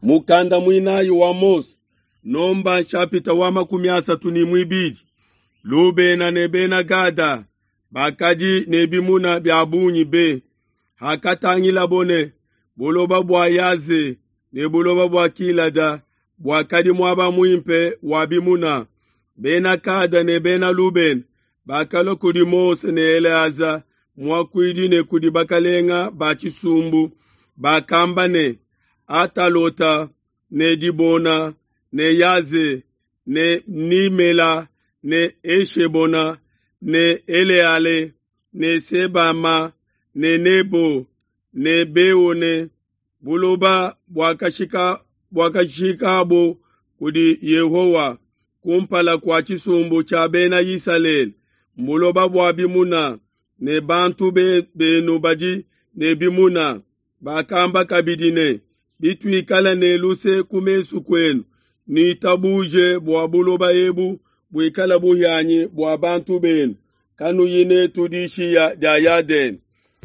Mukanda muinayi wa Mose, Nomba nshapita wa 32. Lubena ne Bena Gada bakadi ne bimuna bia bungi be. Hakatangilabo ne buloba bua Yaze ne buloba bua Gilada buakadi muaba muimpe wa bimuna, Bena Gada ne Bena Lubena bakalua kudi Mose ne Eleaza muakuidi ne kudi bakalenga ba tshisumbu, bakamba ne, Atalota ne Dibona ne Yaze ne Nimela ne Eshebona ne Eleale ne Sebama ne Nebo ne Beone, buloba buakashikabo kudi Yehowa kumpala kua tshisumbu tshia Bena Isalele, mbuloba bua bimuna, ne bantu benu badi ne bimuna. Bakamba kabidi ne, Bituikala ne luse ku mesu kuenu, nuitabuje bua buloba ebu buikale buhianyi bua bantu benu, kanuyi netu dishiya dia Yadene.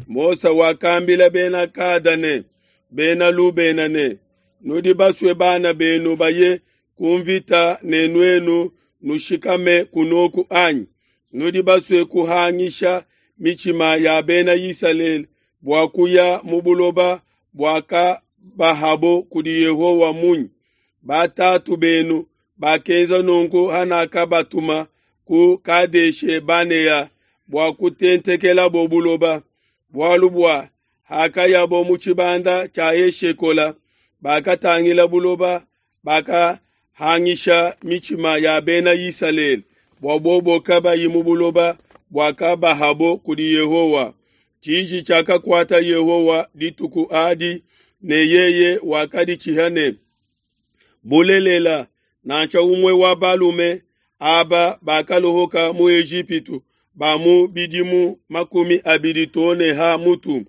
Mose wakambila Bena Gada ne Bena Lubena ne, Nudi basue bana benu baye ku mvita ne nuenu nushikame kunoku anyi? Nudi basue kuhangisha mitshima ya Bena Isalele bua kuya mu buloba buakabahabo kudi Yehowa munyi? Batatu benu bakenza nunku hanakabatuma ku Kadeshe Banea bua kutentekelabo buloba, bualu bua hakayabo mu tshibanda tshia Eshekola, bakatangila buloba, bakahangisha mitshima ya Bena Isalele bua bobo kabayi mu buloba buakabahabo kudi Yehowa. Tshiji tshiakakuata Yehowa dituku adi, ne yeye wakaditshiha ne, Bulelela, nansha umue wa balume aba bakalohoka mu Ejipitu ba mu bidimu 20 to ne ha mutu,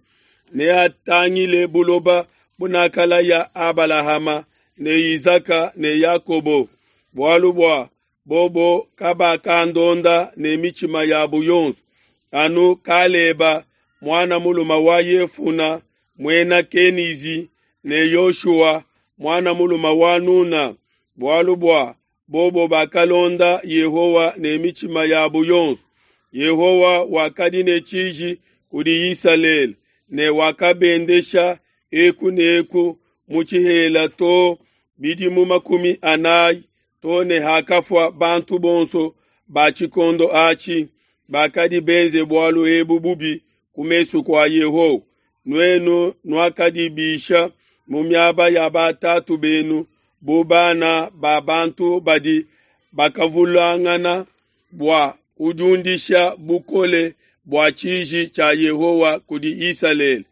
neatangile buloba bunakalaya Abalahama ne Isaka ne Yakobo, bualu bua bobo kabakandonda ne mitshima yabo yonso, anu Kaleba muana mulume wa Yefuna muena Kenizi ne Yoshua muana mulume wa Nuna, bualu bua bobo bakalonda Yehowa ne mitshima yabo yonso. Yehowa wakadi ne tshiji kudi Isalele ne wakabendesha eku ne eku mu tshihela to bidimu 40, to ne hakafua bantu bonso ba tshikondo atshi bakadi benze bualu ebu bubi ku mesu kua Yehowa. Nuenu nuakadibisha mu miaba ya batatu benu bu bana ba bantu badi bakavulangana bua kudiundisha bukole bua tshiji tshia Yehowa kudi Isalele.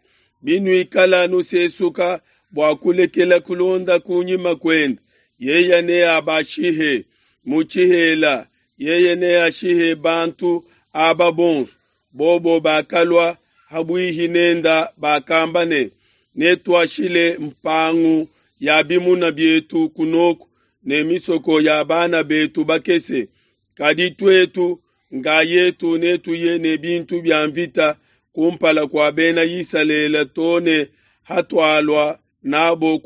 Binuikala nusesuka bua kulekela kulonda kunyima kuende, yeye neabashihe mu tshihela, yeye neashihe bantu aba bonso. Bobo bakalua habuihi nenda bakamba ne, Netuashile mpangu ya bimuna bietu kunoku ne misoko ya bana betu bakese, kadi tuetu ngayetu netuye ne bintu bia mvita kumpala kua Bena Isalele to ne hatualua nabo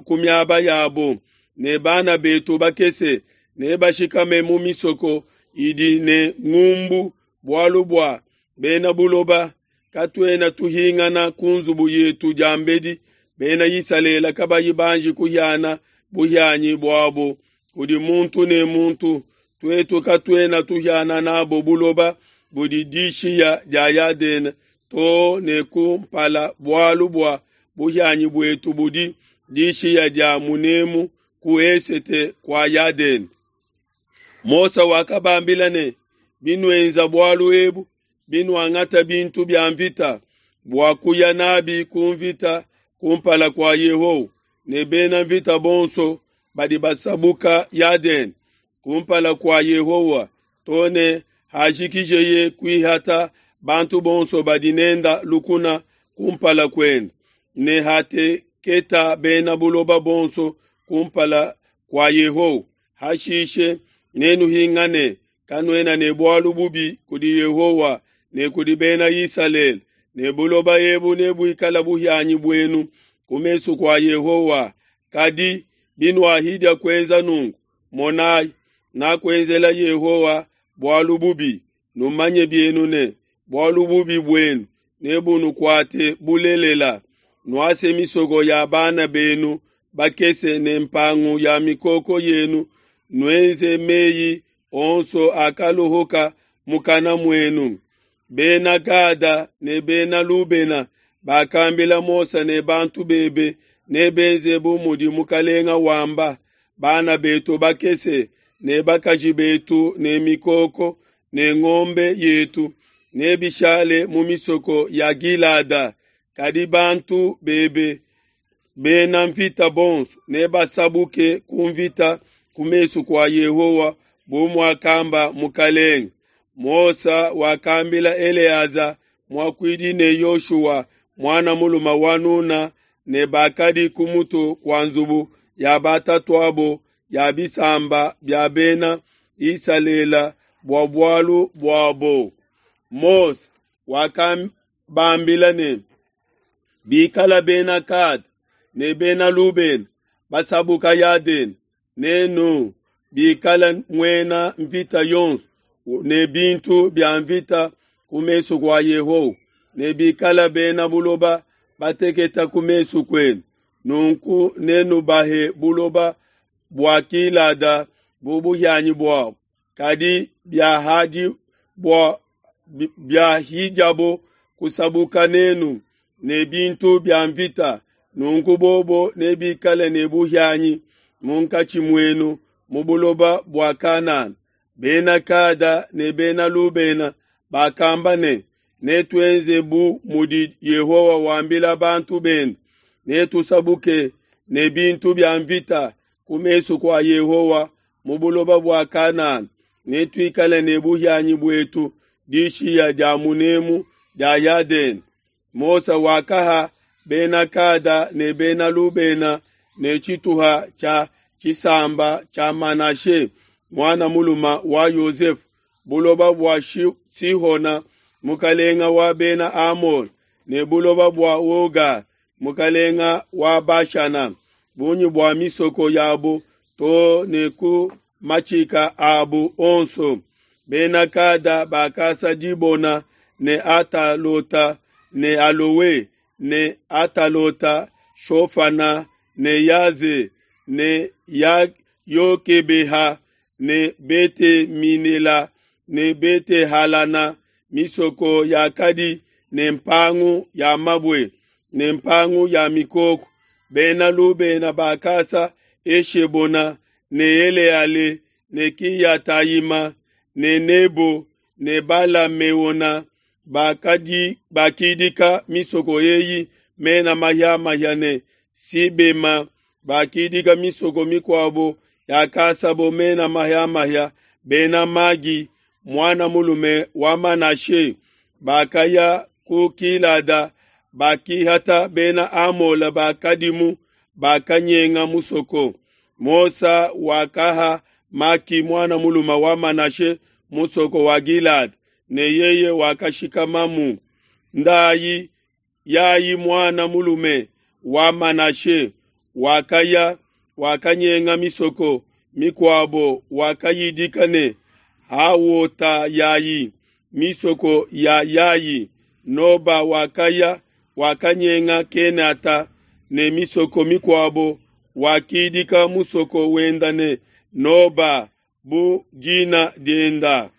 ku miaba yabo, ne bana betu bakese nebashikame mu misoko idi ne ngumbu, bualu bua bena buloba katuena tuhingana ku nzubu yetu diambedi Bena Isalele kabayi banji kuhiana buhianyi buabo kudi muntu ne muntu. Tuetu katuena tuhiana nabo buloba budi dishiya dia Yadene to ne ku mpala, bualu bua buhianyi buetu budi dishiya dia munemu ku esete kua Yadene. Mose wakabambila ne, Binuenza bualu ebu, binuangata bintu bia mvita bua kuya nabi ku mvita kumpala kua Yehowa, ne bena mvita bonso badi basabuka Yadene kumpala kua Yehowa to ne hajikijeye kuihata bantu bonso badi nenda lukuna kumpala kuende, ne hateketa bena buloba bonso kumpala kua Yehowa. Hashishe nenuhingane, kanuena ne bualu bubi kudi Yehowa ne kudi Bena Isalele, ne buloba ebu nebuikale buhianyi buenu ku mesu kua Yehowa. Kadi binuahidia kuenza nunku, monai, nakuenzela Yehowa bualu bubi. Numanye bienu ne, bualu bubi buenu nebunukuate bulelela. Nuase misoko ya bana benu bakese ne mpangu ya mikoko yenu, nuenze meyi onso akaluhuka mukana muenu. Bena Gada ne Bena Lubena bakambila Mose ne bantu bebe nebenze bu mudi mukalenga wamba, bana betu bakese ne bakaji betu ne mikoko ne ngombe yetu nebishale mu misoko ya Gilada, kadi bantu bebe bena mvita bonso nebasabuke ku mvita ku mesu kua Yehowa bu muakamba mukalenge. Mose wakambila Eleaza muakuidi ne Yoshua muana mulume wa Nuna ne bakadi ku mutu kua nzubu ya batatuabo ya bisamba bia bena Isalele bua bualu buabo. Mose wakabambila ne, bikala bena Gada ne bena Lubena basabuka Yadene nenu bikala muena mvita yonso ne bintu bia mvita ku mesu kua Yehowa, ne bikala bena buloba bateketa ku mesu kuenu, nunku nenubahe buloba bua Gilada bu buhianyi buabo. Kadi biahidiabo kusabuka nenu ne bintu bia mvita, nunku bobo nebikale ne buhianyi munkatshi muenu mu buloba bua Kanana. Bena Gada ne Bena Lubena bakamba ne, netuenze bu mudi Yehowa wambila bantu bende, netusabuke ne bintu bia mvita ku mesu kua Yehowa mu buloba bua Kanana, netuikale ne buhianyi buetu dishiya dia munemu dia Yadene. Mose wakaha Bena Gada ne Bena Lubena ne tshituha tshia tshisamba tshia Manashe muana mulume wa Yosefe buloba bua Sihona mukalenga wa Bena Amole ne buloba bua Oga mukalenga wa Bashana, bungi bua misoko yabo too ne ku matshika abu onso. Bena Gada bakasa Dibona ne Atalota ne Alowe ne Atalota Shofana ne Yaze ne Yokebeha ne Bete-Minela ne Bete-Halana, misoko yakadi ne mpangu ya mabue ne mpangu ya mikoko. Bena Lubena bakasa Eshebona ne Eleale ne Kiyatayima ne Nebo ne Bala-Meona, bakidika misoko eyi mena mahia-mahia ne Sibema, bakidika misoko mikuabo yakasabo mena mahia-mahia. Bena Magi muana mulume wa Manashe bakaya ku Gilada, bakihata Bena Amola bakadimu, bakanyenga musoko. Mose wakaha Maki muana mulume wa Manashe musoko wa Gilada, ne yeye wakashikamamu. Ndayi Yayi muana mulume wa Manashe wakaya wakanyenga misoko mikuabo, wakayidika ne Hawota Yayi, misoko ya Yayi. Noba wakaya wakanyenga Kenata ne misoko mikuabo, wakidika musoko wenda ne Noba bu dina dienda.